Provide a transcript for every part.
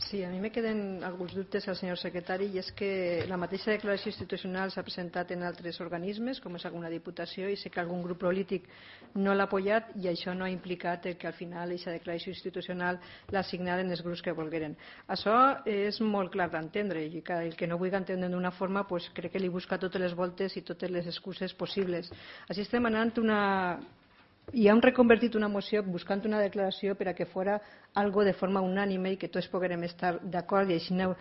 Sí, a mi me queden alguns dubtes al senyor secretari, i és que la mateixa declaració institucional s'ha presentat en altres organismes, com és alguna diputació, i sé que algun grup polític no l'ha apoyat, i això no ha implicat que al final aquesta declaració institucional la signaren els grups que volgueren. Això és molt clar d'entendre, i el que no vulgui entendre d'una forma, pues, crec que li busca totes les voltes i totes les excuses possibles. Així estem anant i hem reconvertit una moció buscant una declaració per a que fora algo de forma unànime i que tots poguérem estar d'acord, i així ho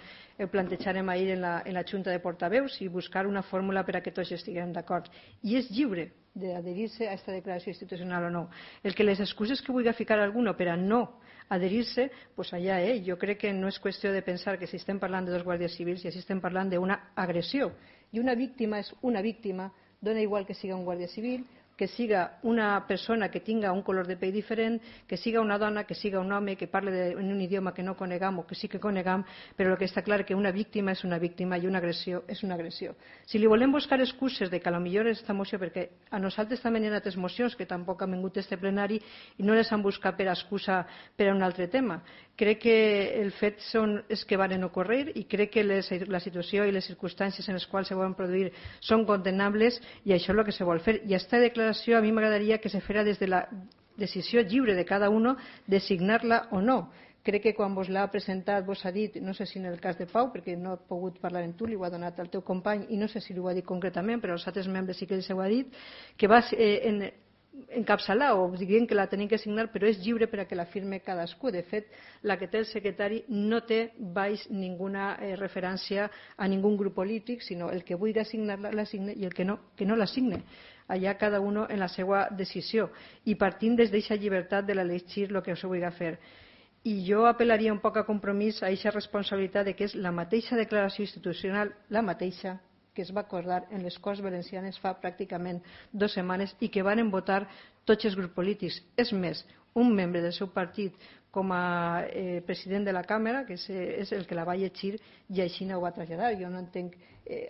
plantejarem ahir en la Junta de Portaveus, i buscar una fórmula per a que tots estiguem d'acord. I és lliure d'adherir-se a aquesta declaració institucional o no. El que les excuses que vulgui ficar algú per a no adherir-se, pues allà, jo crec que no és qüestió de pensar que si estem parlant de dos guàrdies civils i si estem parlant d'una agressió, i una víctima és una víctima, dona igual que siga un guàrdia civil, que siga una persona que tinga un color de pell diferent, que siga una dona, que siga un home, que parle en un idioma que no conegam o que sí que conegam, però el que està clar és que una víctima és una víctima i una agressió és una agressió. Si li volem buscar excuses de que potser aquesta moció, perquè a nosaltres també hi ha altres mocions que tampoc han vingut a este plenari i no les han buscat per a excusa per a un altre tema. Crec que el fet és que van ocórrer, i crec que la situació i les circumstàncies en les quals se van produir són condemnables, i això és el que se vol fer. I aquesta declaració a mi m'agradaria que se fera des de la decisió lliure de cada un de signar-la o no. Crec que quan vos l'ha presentat vos ha dit, no sé si en el cas de Pau, perquè no he pogut parlar amb tu, li ho ha donat al teu company i no sé si li ho ha dit concretament, però als altres membres sí que els ho ha dit, que va encapçalar o dient que la tenim que signar, però és lliure per a que la firme cadascú. De fet, la que té el secretari no té baix ninguna referència a ningú grup polític, sinó el que vulgui signar-la la signe i el que no la signe. Allà cada un en la seva decisió, i partint des d'aquesta llibertat de l'elegir el que se vulgui fer. I jo apel·laria un poc a compromís, a aquesta responsabilitat de que és la mateixa declaració institucional, la mateixa que es va acordar en les Corts Valencianes fa pràcticament 2 setmanes i que van votar tots els grups polítics. És més, un membre del seu partit com a president de la Càmera, que és el que la va llegir, i així no ho va traslladar. Jo no entenc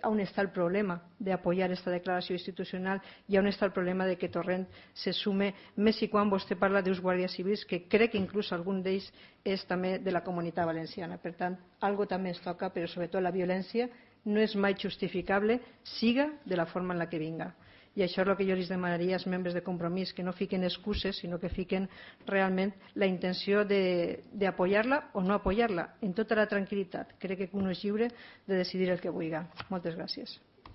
on està el problema d'apoyar aquesta declaració institucional i on està el problema de que Torrent se sume, més i quan vostè parla d'uns guàrdies civils que crec que inclús algun d'ells és també de la Comunitat Valenciana. Per tant, algo també ens toca, però sobretot la violència no és mai justificable, siga de la forma en la que vinga. I això és el que jo els demanaria als membres de Compromís, que no fiquen excuses, sinó que fiquen realment la intenció d'apoyar-la o no apoyar-la, en tota la tranquil·litat. Crec que un és lliure de decidir el que vulgui. Moltes gràcies.